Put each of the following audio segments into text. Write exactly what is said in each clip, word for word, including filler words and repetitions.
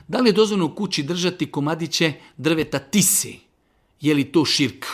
Da li je dozvoljeno u kući držati komadiće drveta tise? Je li to širk?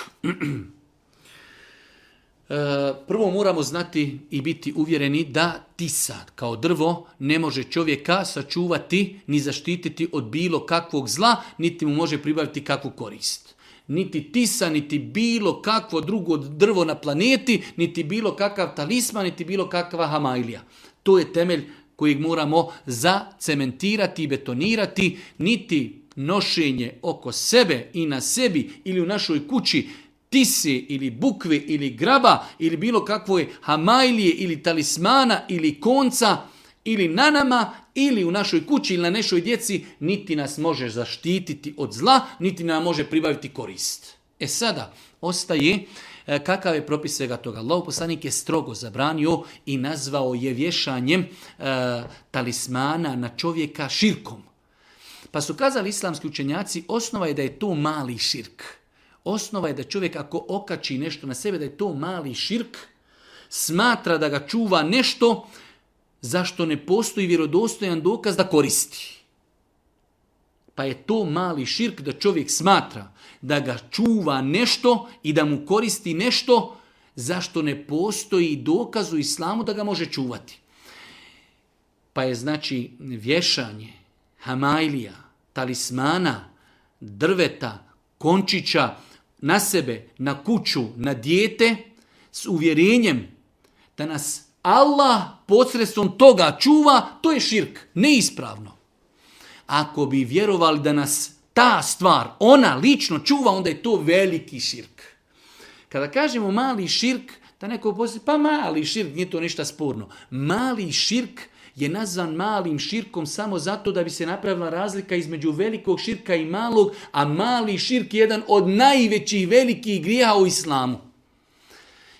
Prvo moramo znati i biti uvjereni da tisa kao drvo ne može čovjeka sačuvati ni zaštititi od bilo kakvog zla, niti mu može pribaviti kakvu korist. Niti tisa, niti bilo kakvo drugo drvo na planeti, niti bilo kakav talisman, niti bilo kakva hamailija. To je temelj kojeg moramo zacementirati i betonirati, niti nošenje oko sebe i na sebi ili u našoj kući tise ili bukve ili graba ili bilo kakve hamailije ili talismana ili konca ili na nama ili u našoj kući ili na našoj djeci, niti nas može zaštititi od zla, niti nam može pribaviti korist. E sada, ostaje kakav je propis svega toga. Allahov poslanik je strogo zabranio i nazvao je vješanjem e, talismana na čovjeka širkom. Pa su kazali islamski učenjaci, osnova je da je to mali širk. Osnova je da čovjek ako okači nešto na sebe, da je to mali širk, smatra da ga čuva nešto zašto ne postoji vjerodostojan dokaz da koristi. Pa je to mali širk da čovjek smatra da ga čuva nešto i da mu koristi nešto zašto ne postoji dokaz u islamu da ga može čuvati. Pa je znači vješanje hamailija, talismana, drveta, končića na sebe, na kuću, na dijete s uvjerenjem da nas Allah posredstvom toga čuva, to je širk, neispravno. Ako bi vjerovali da nas ta stvar, ona lično čuva, onda je to veliki širk. Kada kažemo mali širk, da neko poslije, pa mali širk, nije to ništa sporno. Mali širk je nazvan malim širkom samo zato da bi se napravila razlika između velikog širka i malog, a mali širk je jedan od najvećih velikih grijeha u islamu.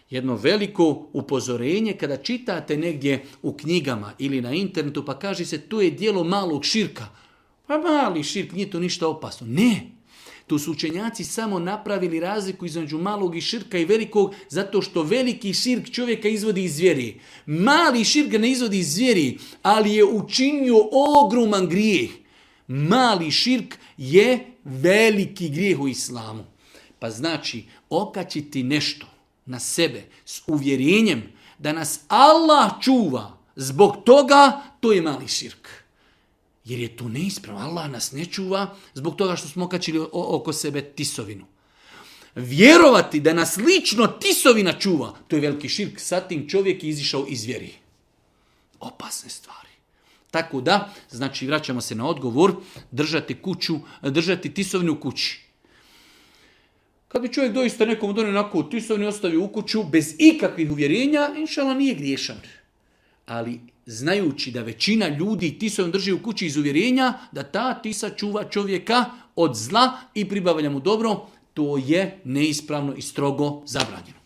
Jedno veliko upozorenje kada čitate negdje u knjigama ili na internetu pa kaže se to je djelo malog širka. Pa mali širk, nije to ništa opasno. Ne, tu su učenjaci samo napravili razliku između malog i širka i velikog zato što veliki širk čovjeka izvodi iz vjeri. Mali širk ga ne izvodi iz vjeri, ali je učinio ogroman grijeh. Mali širk je veliki grijeh u islamu. Pa znači okačiti nešto na sebe s uvjerenjem da nas Allah čuva zbog toga, to je mali širk. Jer je to neispravno. Allah nas ne čuva zbog toga što smo okačili oko sebe tisovinu. Vjerovati da nas lično tisovina čuva, to je veliki širk. Sad tim čovjek je izišao iz vjeri. Opasne stvari. Tako da, znači vraćamo se na odgovor, držati kuću, držati tisovinu u kući. Kad bi čovjek doista nekom donio onako tisovinu ostavio u kuću bez ikakvih uvjerenja, inšala nije griješan. Ali znajući da većina ljudi tisovinu drži u kući iz uvjerenja, da ta tisa čuva čovjeka od zla i pribavlja mu dobro, to je neispravno i strogo zabranjeno.